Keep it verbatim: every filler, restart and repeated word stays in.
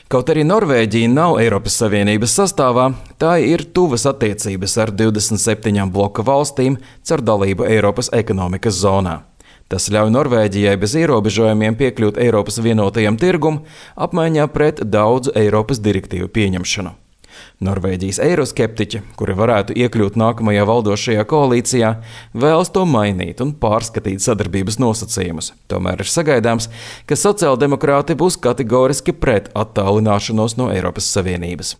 Kaut arī Norvēģija nav Eiropas Savienības sastāvā, tā ir tuvas attiecības ar divdesmit septiņām bloka valstīm caur dalību Eiropas ekonomikas zonā. Tas ļauj Norvēģijai bez ierobežojumiem piekļūt Eiropas vienotajam tirgum apmaiņā pret daudzu Eiropas direktīvu pieņemšanu. Norvēģijas eiroskeptiķi, kuri varētu iekļūt nākamajā valdošajā koalīcijā, vēlas to mainīt un pārskatīt sadarbības nosacījumus. Tomēr ir sagaidāms, ka sociāldemokrāti būs kategoriski pret attālināšanos no Eiropas Savienības.